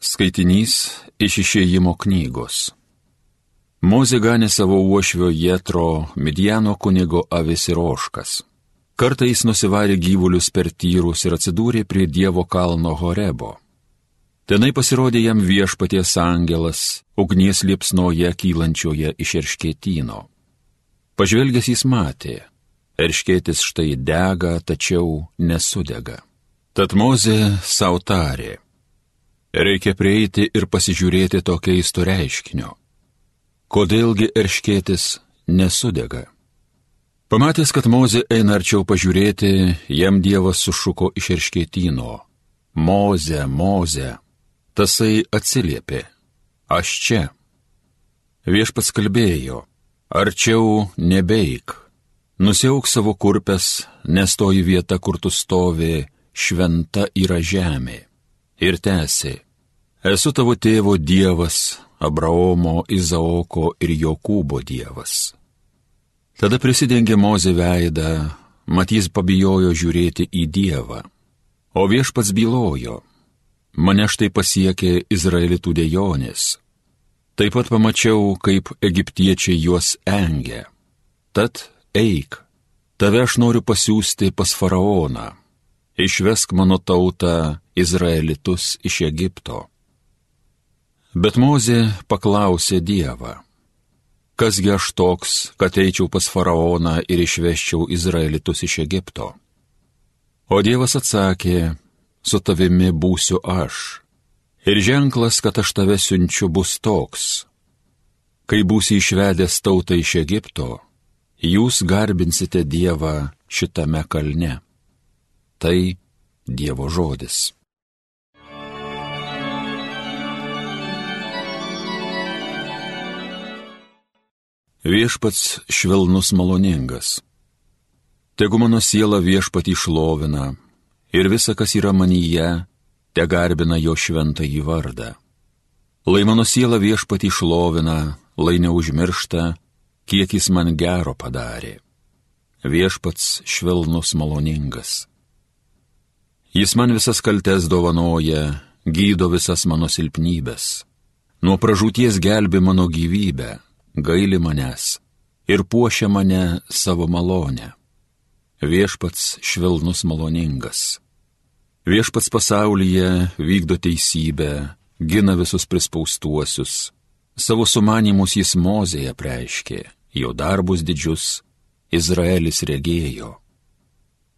Skaitinys iš Išėjimo knygos. Mozė ganė savo uošvio Jetro, Midjano kunigo avis ir ožkas. Kartą jis nusivarė gyvulius per tyrus ir atsidūrė prie Dievo kalno Horebo. Tenai pasirodė jam Viešpaties angelas, ugnies liepsnoje kylančioje iš erškėtyno. Pažvelgęs jis matė, erškėtis štai dega, tačiau nesudega. Tad Mozė sau tarė: reikia prieiti ir pasižiūrėti to keisto reiškinio. Kodėlgi erškėtis nesudega? Pamatęs, kad Mozė eina arčiau pažiūrėti, jam Dievas sušuko iš erškėtyno: Moze, Moze. Tasai atsiliepė: aš čia. Viešpats kalbėjo: arčiau nebeik, nusiauk savo kurpes, nes toji vieta, kur tu stovi, šventa yra žemė. Ir tęsė: esu tavo tėvo Dievas, Abraomo, Izaoko ir Jokūbo Dievas. Tada prisidengė Mozė veidą, mat jis pabijojo žiūrėti į Dievą. O Viešpats bylojo: mane štai pasiekė Izraelitų dejonės. Taip pat pamačiau, kaip egiptiečiai juos engia. Tad eik, tave aš noriu pasiųsti pas faraoną. Išvesk mano tautą Izraelitus iš Egipto. Bet Mozė paklausė Dievą: kasgi aš toks, kad eičiau pas faraoną ir išveščiau Izraelitus iš Egipto? O Dievas atsakė: su tavimi būsiu aš. Ir ženklas, kad aš tave siunčiu, bus toks: kai būsi išvedęs tautą iš Egipto, jūs garbinsite Dievą šitame kalne. Tai Dievo žodis. Viešpats švelnus maloningas. Tegu mano siela Viešpatį šlovina, ir visa, kas yra manyje, te garbina jo šventąjį vardą. Lai mano siela Viešpatį šlovina, lai neužmiršta, kiek jis man gero padarė. Viešpats švelnus maloningas. Jis man visas kaltes dovanoja, gydo visas mano silpnybes. Nuo pražūties gelbi mano gyvybę, gaili manęs ir puošia mane savo malonę. Viešpats švelnus maloningas. Viešpats pasaulyje vykdo teisybę, gina visus prispaustuosius. Savo sumanymus jis Mozėje apreiškė, jo darbus didžius Izraelis regėjo.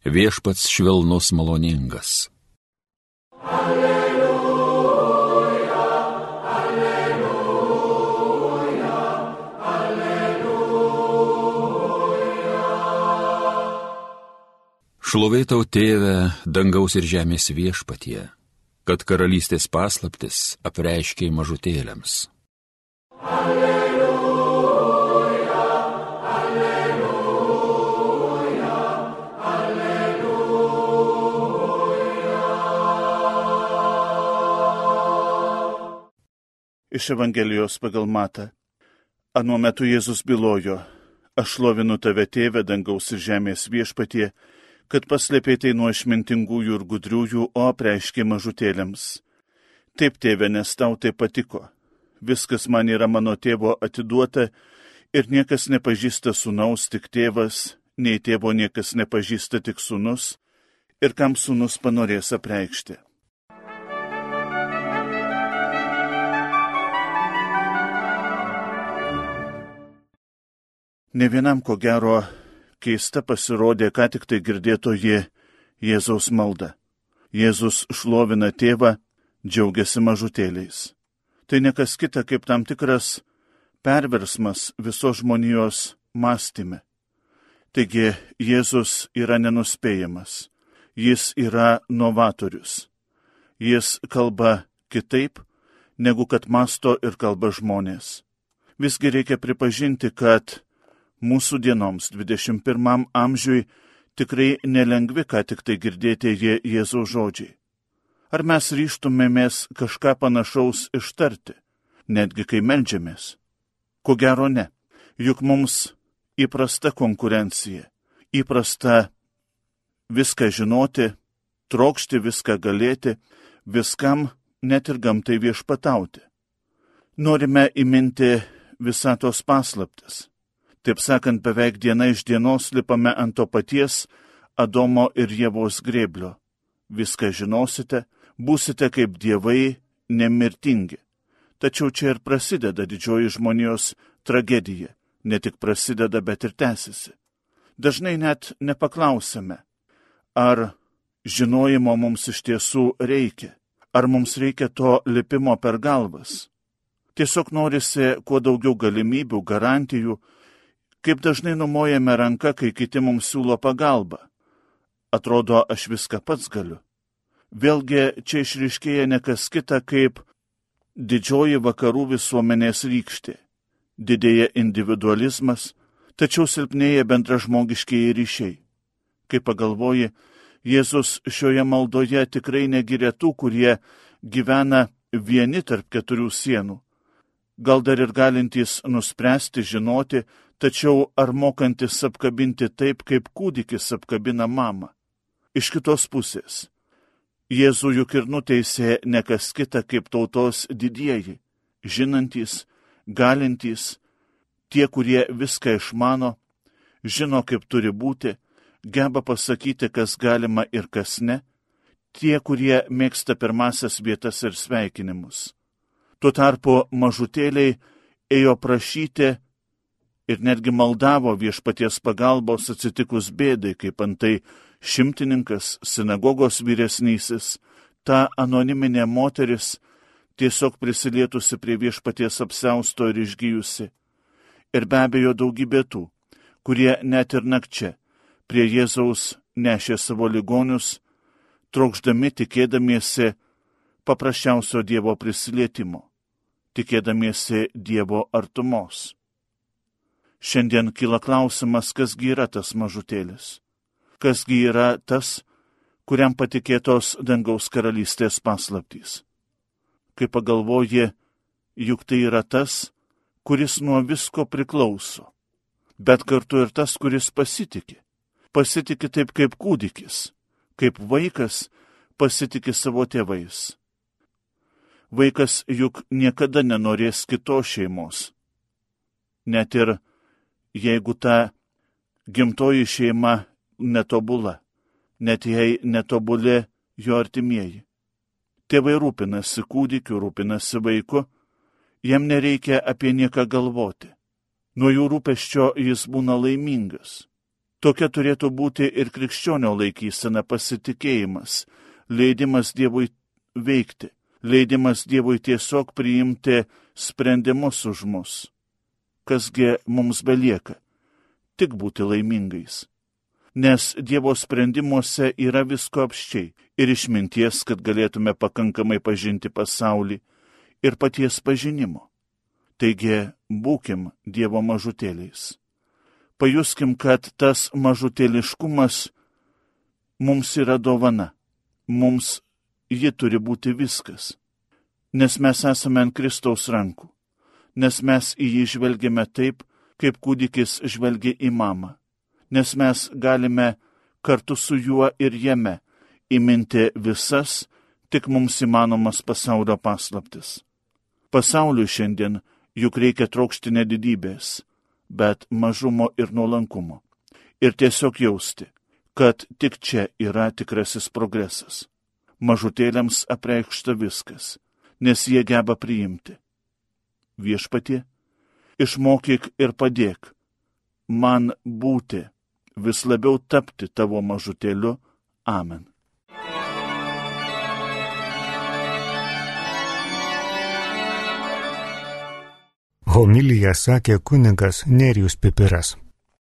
Viešpats švelnus maloningas. Alleluja, alleluja, alleluja. Šlovė tau, Tėve, dangaus ir žemės Viešpatie, kad karalystės paslaptis apreiškei mažutėliams. Alleluja, alleluja, alleluja. Iš Evangelijos pagal Matą. Anuo metu Jėzus bylojo: aš šlovinu tave, Tėve, dangaus ir žemės Viešpatie, kad paslėpei tai nuo išmintingųjų ir gudriųjų, o apreiškei mažutėliams. Taip, Tėve, nes tau tai patiko. Viskas man yra mano tėvo atiduota, ir niekas nepažįsta sūnaus, tik tėvas, nei tėvo niekas nepažįsta, tik sūnus, ir kam sūnus panorės apreikšti. Ne vienam, ko gero, keista pasirodė, ką tik tai girdėtoji Jėzaus malda. Jėzus šlovina tėvą, džiaugiasi mažutėliais. Tai nekas kita kaip tam tikras perversmas visos žmonijos mąstyme. Taigi Jėzus yra nenuspėjamas, jis yra novatorius. Jis kalba kitaip, negu kad mąsto ir kalba žmonės. Visgi reikia pripažinti, kad mūsų dienoms 21 amžiui tikrai nelengvi, ką tik tai girdėti Jėzaus žodžiai. Ar mes ryžtumėmės kažką panašaus ištarti, netgi kai meldžiamės? Ko gero ne, juk mums įprasta konkurencija, įprasta viską žinoti, trokšti viską galėti, viskam net ir gamtai viešpatauti. Norime įminti visatos paslaptis. Taip sakant, beveik diena iš dienos lipame ant to paties Adomo ir Ievos grėblio. Viską žinosite, būsite kaip dievai, nemirtingi. Tačiau čia ir prasideda didžioji žmonijos tragedija. Ne tik prasideda, bet ir tęsiasi. Dažnai net nepaklausime, ar žinojimo mums iš tiesų reikia, ar mums reikia to lipimo per galvas. Tiesiog norisi kuo daugiau galimybių, garantijų, kaip dažnai numojame ranką, kai kiti mums siūlo pagalbą. Atrodo, aš viską pats galiu. Vėlgi čia išryškėja ne kas kita kaip didžioji vakarų visuomenės rykštė. Didėja individualizmas, tačiau silpnėja bendražmogiškieji ryšiai. Kai pagalvoji, Jėzus šioje maldoje tikrai negiria tų, kurie gyvena vieni tarp keturių sienų. Gal dar ir galintys nuspręsti, žinoti, tačiau ar mokantis apkabinti taip, kaip kūdikis apkabina mamą. Iš kitos pusės, Jėzų juk ir nuteisė ne kas kita kaip tautos didieji, žinantys, galintys, tie, kurie viską išmano, žino, kaip turi būti, geba pasakyti, kas galima ir kas ne, tie, kurie mėgsta pirmasias vietas ir sveikinimus. Tuo tarpu mažutėliai ėjo prašyti ir netgi maldavo viešpaties pagalbos atsitikus bėdai, kaip antai šimtininkas, sinagogos vyresnysis, ta anoniminė moteris, tiesiog prisilietusi prie viešpaties apsiausto ir išgijusi. Ir be abejo daugybė tų, kurie net ir nakčia prie Jėzaus nešė savo ligonius, trokšdami, tikėdamiesi paprasčiausio Dievo prisilietimo, tikėdamiesi Dievo artumos. Šiandien kyla klausimas, kasgi yra tas mažutėlis, kasgi yra tas, kuriam patikėtos dangaus karalystės paslaptys. Kai pagalvoji, juk tai yra tas, kuris nuo visko priklauso, bet kartu ir tas, kuris pasitiki. Pasitiki taip kaip kūdikis, kaip vaikas pasitiki savo tėvais. Vaikas juk niekada nenorės kitos šeimos. Net ir jeigu ta gimtoji šeima netobula, net jei netobuli jo artimieji. Tėvai rūpinasi kūdikiu, rūpinasi vaiku, jam nereikia apie nieką galvoti. Nuo jų rūpesčio jis būna laimingas. Tokia turėtų būti ir krikščionio laikysena, pasitikėjimas, leidimas Dievui veikti, leidimas Dievui tiesiog priimti sprendimus už mus. Kasgi mums belieka? Tik būti laimingais. Nes Dievo sprendimuose yra visko apsčiai ir išminties, kad galėtume pakankamai pažinti pasaulį ir paties pažinimo. Taigi, būkim Dievo mažutėliais. Pajuskim, kad tas mažutėliškumas mums yra dovana. Mums ji turi būti viskas. Nes mes esame ant Kristaus rankų. Nes mes į jį žvelgiame taip, kaip kūdikis žvelgia į mamą. Nes mes galime kartu su juo ir jame įminti visas tik mums įmanomas pasaulio paslaptis. Pasauliui šiandien juk reikia trokšti ne didybės, bet mažumo ir nuolankumo. Ir tiesiog jausti, kad tik čia yra tikrasis progresas. Mažutėliams apreikšta viskas, nes jie geba priimti. Viešpatie, išmokyk ir padėk man būti, vis labiau tapti tavo mažutėliu. Amen. Homiliją sakė kunigas Nerijus Pipiras.